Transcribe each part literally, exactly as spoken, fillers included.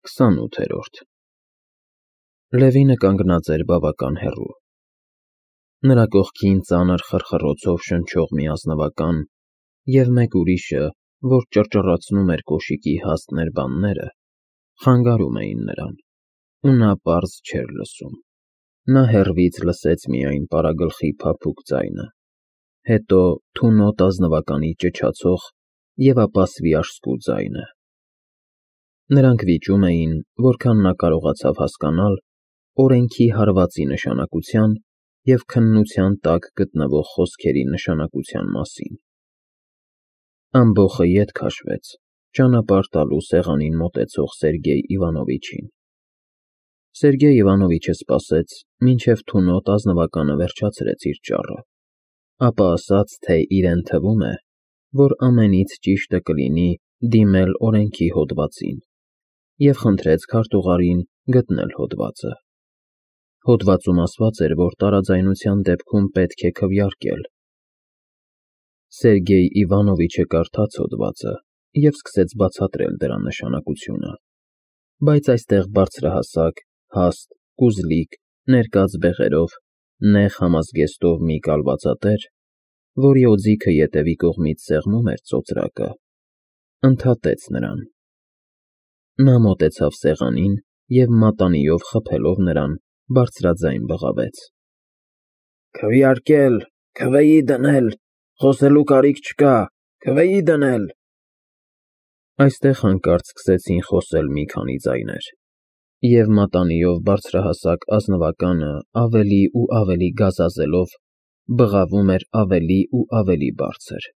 քսանութերորդ Լևինը կանգնած էր բավական հեռու։ Նրա կողքին ծանր խռխռոցով շնչող մի ազնվական և մեկ ուրիշը, որ ճռճռացնում էր կոշիկի հաստ ներբանները, խանգարում էին նրան, ու նա պարզ չէր լսում։ Նա հեռվից լսեց միայն պարագլխի փափուկ ձայնը, հետո թունոտ ազնվականի ճչացող և ապա սվիաշսկու ձայնը։ Նրանք վիճում էին, որքան նա կարողացավ հասկանալ, օրենքի հարվածի նշանակության և քննության տակ գտնվող խոսքերի նշանակության մասին։ Ամբոխը ետ քաշվեց, ճանապարհ տալու սեղանին մոտեցող Սերգեյ Իվանովիչին։ Սերգեյ Իվանովիչը սպասեց, մինչև թունոտ ազնվականը վերջացրեց իր ճառը, ապա ասաց, թե իրեն թվում է, որ ամենից ճիշտը կլինի դիմել օրենքի հոդվածին, և խնդրեց քարտուղարին գտնել հոդվածը։ Հոդվածում ասված էր, որ տարաձայնության դեպքում պետք է քվեարկել։ Սերգեյ Իվանովիչը կարդաց հոդվածը և սկսեց բացատրել դրա նշանակությունը, բայց այստեղ բարձրահասակ, հաստ, կուզլիկ, ներկած բեղերով, նեղ համազգեստով մի կալվածատեր, որի օձիքը ետևի կողմից սեղմում էր ծոծրակը, ընդհատեց նրան։ Նա մոտեցավ սեղանին և մատանիով խփելով նրան, բարձրաձայն բղավեց. «Քվեարկել, քվեի դնել, խոսելու կարիք չկա, քվեի դնել»։ Այստեղ հանկարծ սկսեցին խոսել մի քանի ձայներ, և մատանիով բարձրահասակ ազնվականը ավելի ու ավելի գազազելով բղավում էր ավելի ու ավելի բարձր,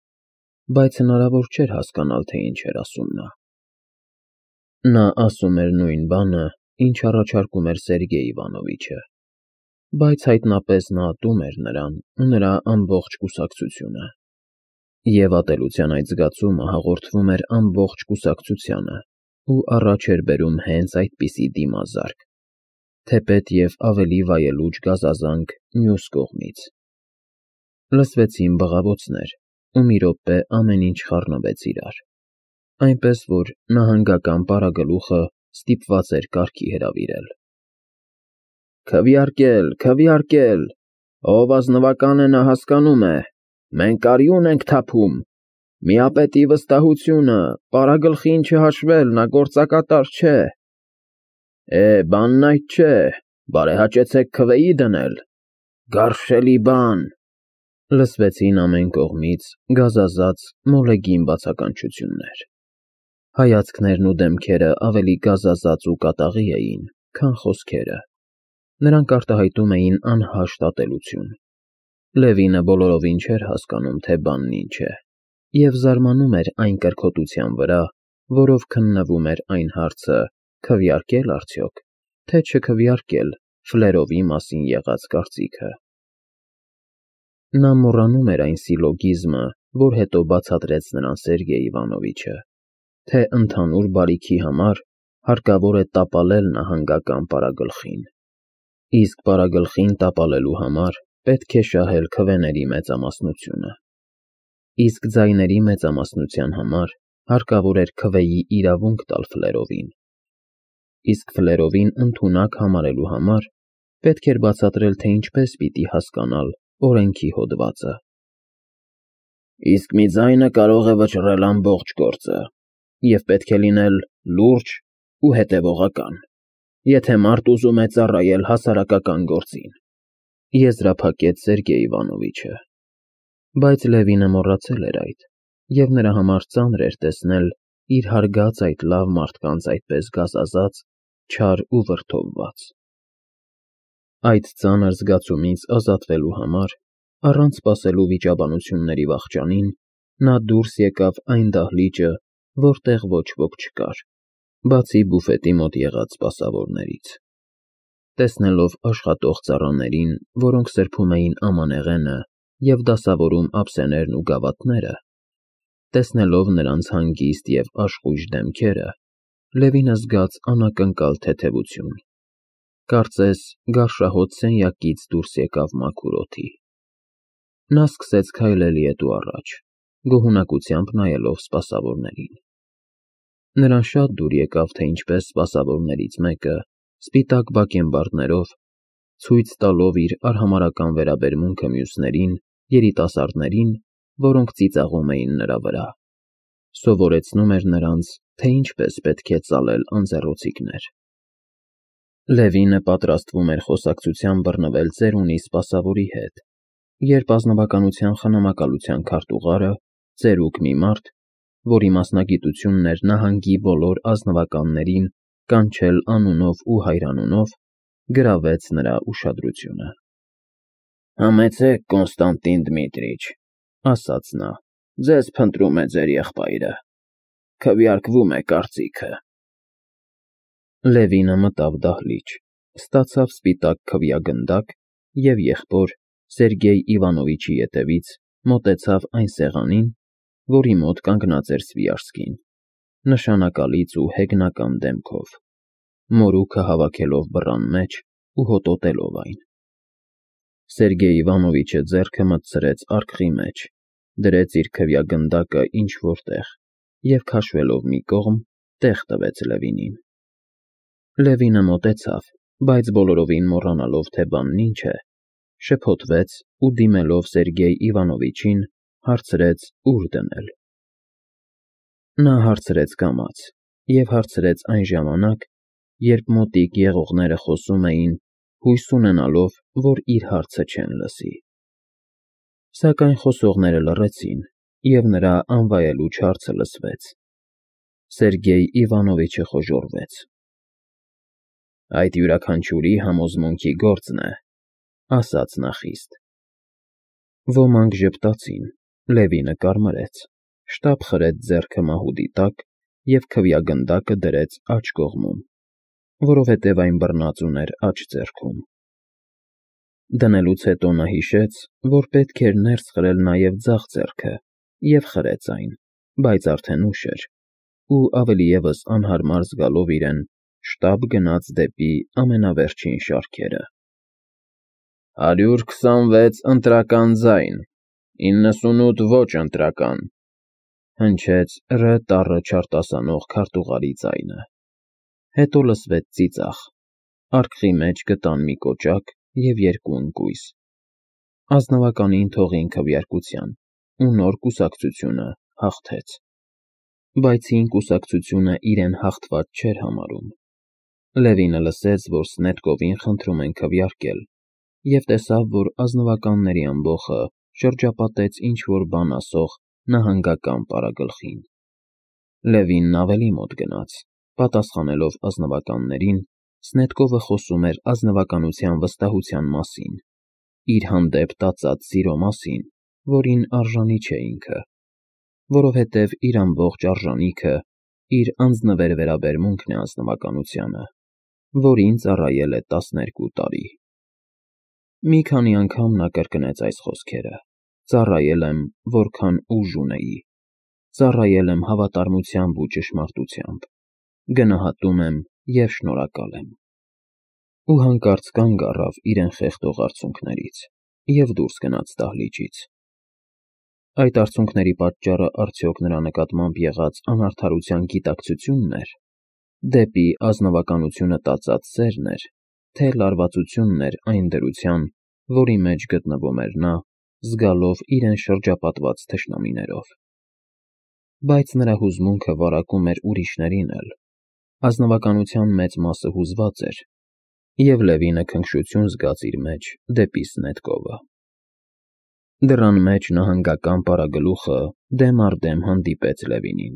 բայց հնարավոր չէր հասկանալ, թե ինչ էր ասում նա։ Նա ասում էր նույն բանը, ինչ առաջարկում էր Սերգեյ Իվանովիչը, բայց հայտնապես նա ատում էր նրան ու նրա ամբողջ կուսակցությունը, և ատելության այդ զգացումը հաղորդվում էր ամբողջ կուսակցությանը ու առաջ էր բերում հենց այդպիսի դիմազարկ, թեպետ և ավելի վայելուչ գազազանք մյուս կողմից։ Լսվեցին բղավոցներ, ու մի րոպե ամեն ինչ խառնվեց իրար, այնպես որ նահանգական պարագլուխը ստիպված էր կարգի հրավիրել. «Քվեարկել, քվեարկել, ով ազնվական է, նա հասկանում է, մենք արյուն ենք թափում, միապետի վստահությունը, պարագլխին չհաշվել, նա գործակատար չէ։ Է, բանն այդ չէ, բարեհաճեցեք քվեի դնել, գարշելի բան»։ Լսվեցին ամեն կողմից գազազած, մոլեգին բացականչություններ։ Հայացքներն ու դեմքերը ավելի գազազած ու կատաղի էին, քան խոսքերը։ Նրանք արտահայտում էին անհաշտ ատելություն։ Լևինը բոլորովին չէր հասկանում, թե բանն ինչ է, և զարմանում էր այն կրքոտության վրա, որով քննվում էր այն հարցը՝ քվեարկե՞լ արդյոք, թե չքվեարկել ֆլերովի մասին եղած կարծիքը։ Նա մոռանում էր այն սիլոգիզմը, որ հետո բացատրեց նրան Սերգեյ Իվանովիչը, թե ընդհանուր բարիքի համար հարկավոր է տապալել նահանգական պարագլխին, իսկ պարագլխին տապալելու համար պետք է շահել քվեների մեծամասնությունը, իսկ ձայների մեծամասնության համար հարկավոր էր քվեի իրավունք տալ ֆլերովին, իսկ ֆլերովին ընդունակ համարելու համար պետք էր բացատրել, թե ինչպես պիտի հասկանալ օրենքի հոդվածը։ Իսկ մի ձայնը կարող է վճռել ամբողջ գործը, և պետք է լինել լուրջ ու հետևողական, եթե մարդ ուզում է ծառայել հասարակական գործին, եզրափակեց Սերգեյ Իվանովիչը։ Բայց Լևինը մոռացել էր այդ, և նրա համար ծանր էր տեսնել իր հարգած այդ լավ մարդկանց այդպես գազազած, չար ու վրդովված։ Այդ ծանր զգացումից ազատվելու համար, առանց սպասելու վիճաբանությունների վախճանին, նա դուրս եկավ այն դահլիճը, որտեղ ոչ ոք չկար, բացի բուֆետի մոտ եղած սպասավորներից։ Տեսնելով աշխատող ծառաներին, որոնք սրբում էին ամանեղենը և դասավորում ափսեներն ու գավաթները, տեսնելով նրանց հանգիստ և աշխույժ դեմքերը, Լևինը զգաց անակնկալ թեթևություն, կարծես գարշահոտ սենյակից դուրս եկավ մաքուր օդի։ Նա սկսեց քայլել ետ ու առաջ, գոհունակությամբ նայելով սպասավորներին։ Նրան շատ դուր եկավ, թե ինչպես սպասավորներից մեկը, սպիտակ բակենբարդներով, ցույց տալով իր արհամարհական վերաբերմունքը մյուսներին, երիտասարդներին, որոնք ծիծաղում էին նրա վրա, սովորեցնում էր նրանց, թե ինչպես պետք է ծալել անձեռոցիկներ։ Լևինը պատրաստվում էր խոսակցության բռնվել ծերունի սպասավորի հետ, երբ ազնվականության խնամակալության քարտուղարը, ծերուկ մի մարդ, որի մասնագիտությունն էր նահանգի բոլոր ազնվականներին կանչել անունով ու հայրանունով, գրավեց նրա ուշադրությունը։ «Համեցեք, Կոնստանտին Դմիտրիչ, ֊ ասաց նա, ֊ ձեզ փնտրում է ձեր եղբայրը, քվեարկվում է կարծիքը»։ Լևինը մտավ դահլիճ, ստացավ սպիտակ քվեագնդակ և եղբոր Սերգեյ Իվանովիչի ետևից մոտեցավ այն սեղանին, որի մոտ կանգնած էր Սվիաշկին, նշանակալից ու հեգնական դեմքով, մորուքը հավաքելով բռան մեջ ու հոտոտելով այն։ Սերգեյ Իվանովիչը ձեռքը մտցրեց արկղի մեջ, դրեց իր քվեագնդակը ինչ֊որ տեղ և, քաշվելով մի կողմ, տեղ տվեց Լևինին։ Լևինը մոտեցավ, բայց բոլորովին մոռանալով, թե բանն ինչ է, շփոթվեց ու, դիմելով Սերգեյ Իվանովիչին, հարցրեց՝ ուր դնել։ Նա հարցրեց կամաց և հարցրեց այն ժամանակ, երբ մոտիկ եղողները խոսում էին, հույս ունենալով, որ իր հարցը չեն լսի։ Սակայն խոսողները լռեցին, և նրա անվայելուչ հարցը լսվեց։ Սերգեյ Իվանովիչը խոժոռվեց։ «Այդ յուրաքանչյուրի համոզմունքի գործն է», ֊ ասաց նա խիստ։ Ոմանք ժպտացին, Լևինը կարմրեց, շտապ խրեց ձեռքը մահուդի տակ և քվեագնդակը դրեց աջ կողմում, որովհետև այն բռնած ուներ աջ ձեռքում։ Դնելուց հետո նա հիշեց, որ պետք էր ներս խրել նաև ձախ ձեռքը և խրեց այն, բայց արդեն ուշ էր, ու ավելի ևս անհարմար զգալով իրեն, շտապ գնաց դեպի ամենավերջին շարքերը։ «Հարյուր քսանվեց ընտրական ձայն, իննսունութ ոչ ընտրական», ֊ հնչեց Ռ տառը չարտասանող քարտուղարի ձայնը։ Հետո լսվեց ծիծաղ, արկղի մեջ գտան մի կոճակ և երկու ընկույզ։ Ազնվականին թողին քվեարկության, ու նոր կուսակցությունը հաղթեց։ Բայց հին կուսակցությունը իրեն հաղթված չէր համարում։ Լևինը լսեց, որ Սնետկովին խնդրում են քվեարկել, և տեսավ, որ ազնվականների ամբոխը շրջապատեց ինչ֊որ բան ասող նահանգական պարագլխին։ Լևինն ավելի մոտ գնաց, պատասխանելով ազնվականներին, Սնետկովը խոսում էր ազնվականության վստահության մասին, իր հանդեպ տածած սիրո մասին, որին արժանի չէ ինքը, որովհետև իր ամբողջ արժանիքը իր անձնվեր վերաբերմունքն է ազնվականությանը, որին ծառայել է տասներկու տարի։ Մի քանի անգամ նա կրկնեց այս խոսքերը. «Ծառայել եմ, որքան ուժ ունեի, ծառայել եմ հավատարմությամբ ու ճշմարտությամբ, գնահատում եմ և շնորհակալ եմ»։ Ու հանկարծ կանգ առավ իրեն խեղդող արցունքներից և դուրս գնաց դահլիճից։ Այդ արցունքների պատճառը արդյոք նրա նկատմամբ եղած անարդարության գիտակցությո՞ւնն էր, դեպի ազնվականությունը տածած սերն էր, թե լարվածությունն էր այն դրության, որի մեջ գտնվում էր նա, զգալով իրեն շրջապատված թշնամիներով։ Բայց նրա հուզմունքը վարակում էր ուրիշներին էլ, ազնվականության մեծ մասը հուզված էր, և Լևինը քնքշություն զգաց իր մեջ դեպի Սնետկովը։ Դռան մեջ նահանգական պարագլուխը դեմ առ դեմ հանդիպեց Լևինին։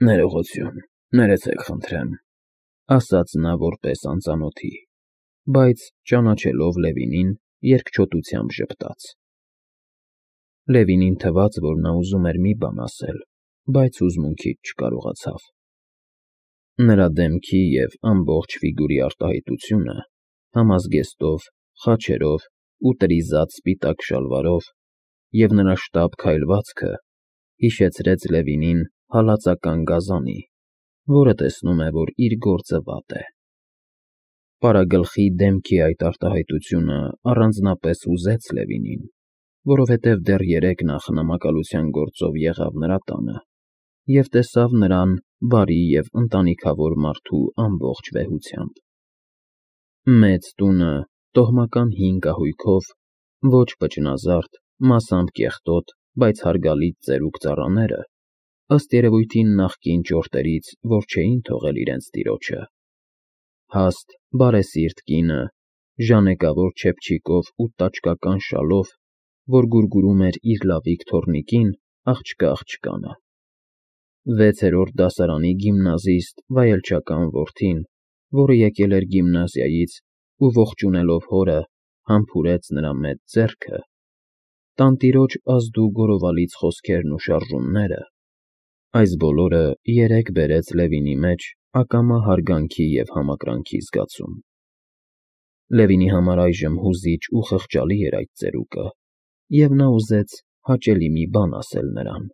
«Ներողություն, ներեցեք խնդրեմ», ֊ ասաց նա որպես անծանոթի, բայց, ճանաչելով Լևինին, երկչոտությամբ ժպտաց։ Լևինին թվաց, որ նա ուզում էր մի բան ասել, բայց հուզմունքից չկարողացավ։ Նրա դեմքի և ամբողջ ֆիգուրի արտահայտությունը, համազգեստով, խաչերով ու տրիզատ սպիտակ շալվարով, և նրա շտապ քայլվածքը հիշեցրեց Լևինին հալածական գազանի, որը տեսնում է, որ իր գործը վատ է։ Պարագլխի դեմքի այդ արտահայտությունը առանձնապես հուզեց Լևինին, որովհետև դեռ երեկ նա խնամակալության գործով եղավ նրա տանը, և տեսավ նրան բարի և ընտանիքավոր մարդու ամբողջ վեհությամբ։ Մեծ տունը տոհմական հին կահույքով, ոչ պճնազարդ, մասամբ կեղտոտ, բայց հարգալից ծերուկ ծառաները, ըստ երևույթին նախկին ճորտերից, որ չէին թողել իրենց տիրոջը, հաստ, բարեսիրտ կինը, ժանեկավոր չեփչիկով ու տաճկական շալով, որ գուրգուրում էր իր լավիկ թոռնիկին, աղջկա աղջկանը, վեցերորդ դասարանի գիմնազիստ վայելչական որդին, որը եկել էր գիմնազիայից ու ողջունելով հորը, համբուրեց նրա մեծ ձեռքը, տանտիրոջ ազդու գորովալից խոսքերն ու շարժումները, այս բոլորը երեկ բերեց Լևինի մեջ ակամա հարգանքի և համակրանքի զգացում։ Լևինի համար այժմ հուզիչ ու խղճալի էր այդ ծերուկը, և նա ուզեց հաճելի մի բան ասել նրան։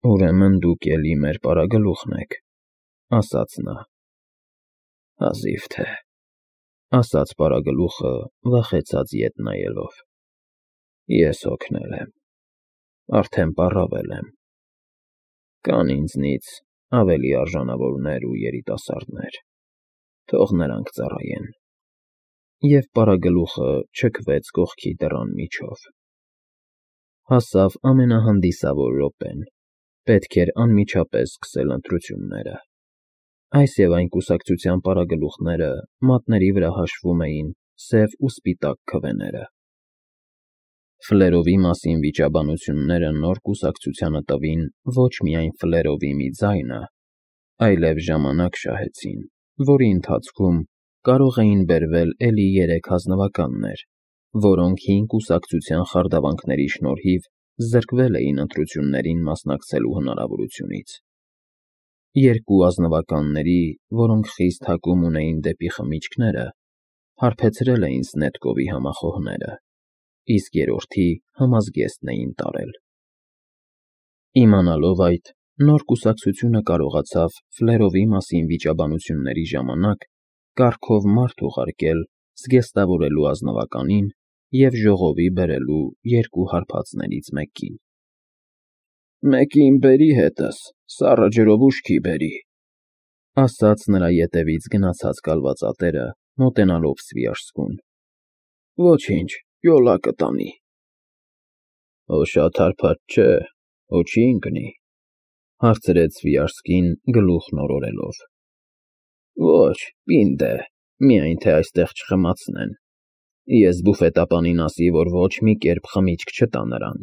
«Ուրեմն դուք էլի մեր պարագլուխն եք,֊ ասաց նա։ Հազիվ թե,֊ ասաց պարագլուխը վախեցած ետ նայելով։ Ես հոգնել եմ, արդեն պառավել եմ, կան ինձնից ավելի արժանավորներ ու երիտասարդներ, թող նրանք ծառայեն։ Եվ պարագլուխը չքվեց կողքի դռան միջով։ Հասավ ամենահանդիսավոր րոպեն, պետք էր անմիջապես սկսել ընտրությունները։ Այս և այն կուսակցության պարագլուխները մատների վրա հաշվում էին սև ու սպիտակ քվեները։ Ֆլերովի մասին վիճաբանությունները նոր կուսակցությանը տվին ոչ միայն Ֆլերովի մի ձայնը, այլև ժամանակ շահեցին, որի ընթացքում կարող էին բերվել էլի երեք ազնվականներ, որոնք հին կուսակցության խարդավանքների շնորհիվ զրկվել էին ընտրություններին մասնակցելու հնարավորությունից։ Երկու ազնվականների, որոնք խիստ հակում ունեին դեպի խմիչքները, հարբեցրել էին Սնետկովի համախոհները, իսկ երրորդի համազգեստն էին տարել։ Իմանալով այդ, նոր կուսակցությունը կարողացավ Ֆլերովի մասին վիճաբանությունների ժամանակ կառքով մարդ ուղարկել զգեստավորելու ազնվականին և ժողովի բերելու երկու հարբածներից մեկին։ «Մեկին բերի հետս, սառը ջրով ուշքի բերի,֊ ասաց նրա ետևից գնացած կալվածատերը, մոտենալով Սվիաշսկուն։ Ոչինչ, յոլա կտանի։ Օ շատ հարբած չէ, օ չի ընկնի,֊ հարցրեց Սվիաշսկին գլուխն օրորելով։ Ոչ, պինդ է, միայն թե այստեղ չխմացնեն։ Ես բուֆետապանին ասի, որ ոչ մի կերպ խմիչք չտա նրան։